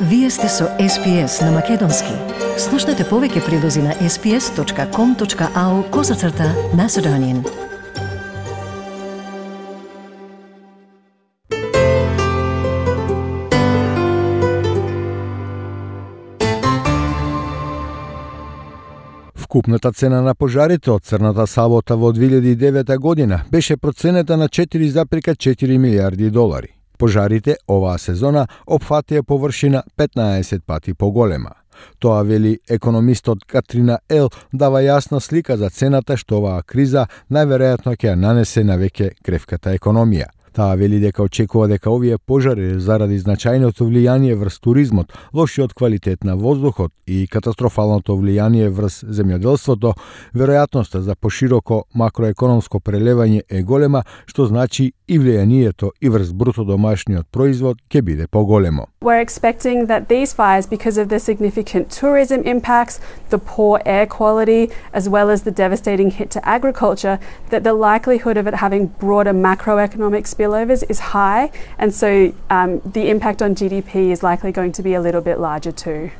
Вие сте со SPS на Македонски. Слушнете повеќе прилози на sps.com.au/Macedonian. Вкупната цена на пожарите од црната сабота во 2009 година беше проценета на 4,4 милиарди долари. Пожарите оваа сезона опфатија површина 15 пати поголема. Тоа вели економистот Катрина Ел, дава јасна слика за цената што оваа криза најверојатно ќе ја нанесе на веќе кревката економија. Таа вели дека очекува дека овие пожари заради значајното влијание врз туризмот, лошиот квалитет на воздухот и катастрофалното влијание врз земјоделството, веројатноста за пошироко макроекономско прелевање е голема, што значи и влијанието и врз бруто домашниот производ ќе биде поголемо. We're expecting that these fires, because of the significant tourism impacts, the poor air quality, as well as the devastating hit to agriculture, that the likelihood of it having broader macroeconomic spillovers is high, and so the impact on GDP is likely going to be a little bit larger too.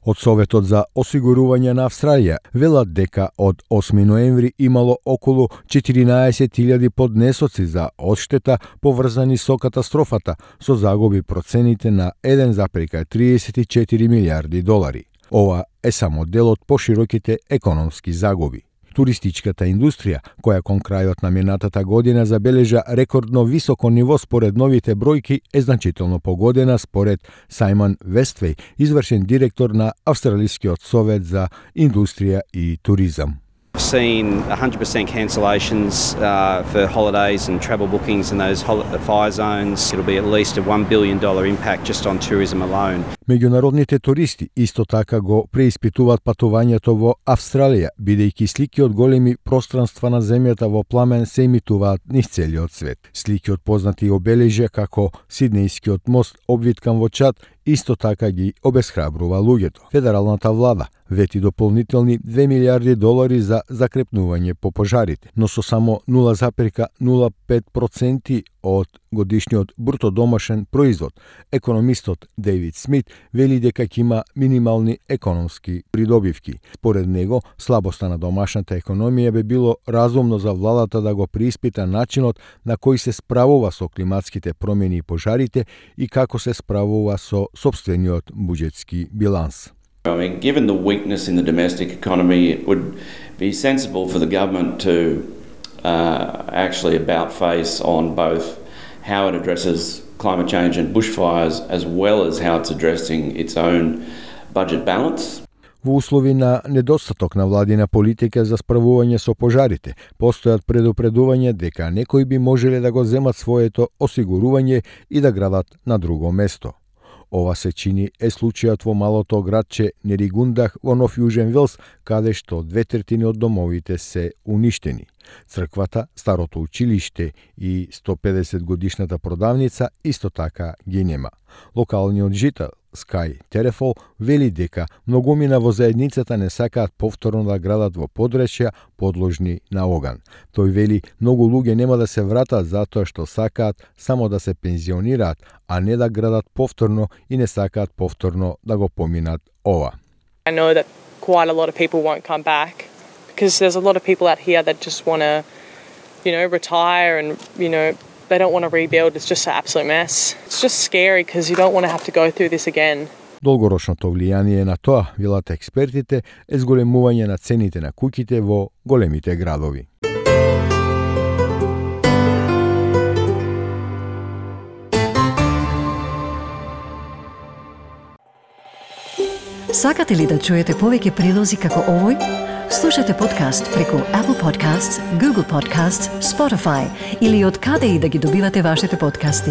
Од Советот за осигурување на Австралија велат дека од 8 ноември имало околу 14.000 поднесоци за одштета поврзани со катастрофата, со загуби процените на 1,34 милиарди долари. Ова е само дел од пошироките економски загуби. Туристичката индустрија, која кон крајот на минатата година забележа рекордно високо ниво според новите бројки, е значително погодена според Сајмон Вествеј, извршен директор на Австралискиот совет за индустрија и туризам. I've seen 100% cancellations for holidays and travel bookings in those fire zones. It'll be at least a $1 billion impact just on tourism alone. Меѓународните туристи исто така го преиспитуваат патувањето во Австралија, бидејќи слики од големи пространства на земјата во пламен се емитуваат низ целиот свет. Слики од познати обележја како Сиднејскиот мост обвиткан во чад исто така ги обесхрабрува луѓето. Федералната влада вети дополнителни 2 милиарди долари за закрепнување по пожарите, но со само 0,05% од годишниот бруто домашен производ. Економистот Дейвид Смит вели дека ќе има минимални економски придобивки. Според него, слабоста на домашната економија би било разумно за владата да го преиспита начинот на кој се справува со климатските промени и пожарите и како се справува со сопствениот буџетски биланс. I mean, given the weakness in the domestic economy, it would be sensible for the government to actually about face on both how it addresses climate change and bushfires, as well as how it's addressing its own budget balance. Во услови на недостаток на владина политика за справување со пожарите, постојат предупредувања дека некои би можеле да го земат своето осигурување и да градат на друго место. Ова се чини е случајот во малото градче Неригундах во Нов Јужен Велс, каде што 2/3 од домовите се уништени. Црквата, старото училиште и 150 годишната продавница исто така ги нема. Локалниот жител Скај Терефол вели дека многумина во заедницата не сакаат повторно да градат во подречја подложни на оган. Тој вели многу луѓе нема да се вратат затоа што сакаат само да се пензионираат, а не да градат повторно и не сакаат повторно да го поминат ова. I know that quite a lot of people won't come back because there's a lot of people out here that just want to, retire and, they don't want to rebuild. It's just an absolute mess. It's just scary because you don't want to have to go through this again. Долгорочното влијание на тоа, велат експертите, е зголемување на цените на куќите во големите градови. Сакате ли да чуете повеќе прилози како овој? Слушате подкаст преку Apple Podcasts, Google Podcasts, Spotify или од каде и да ги добивате вашите подкасти.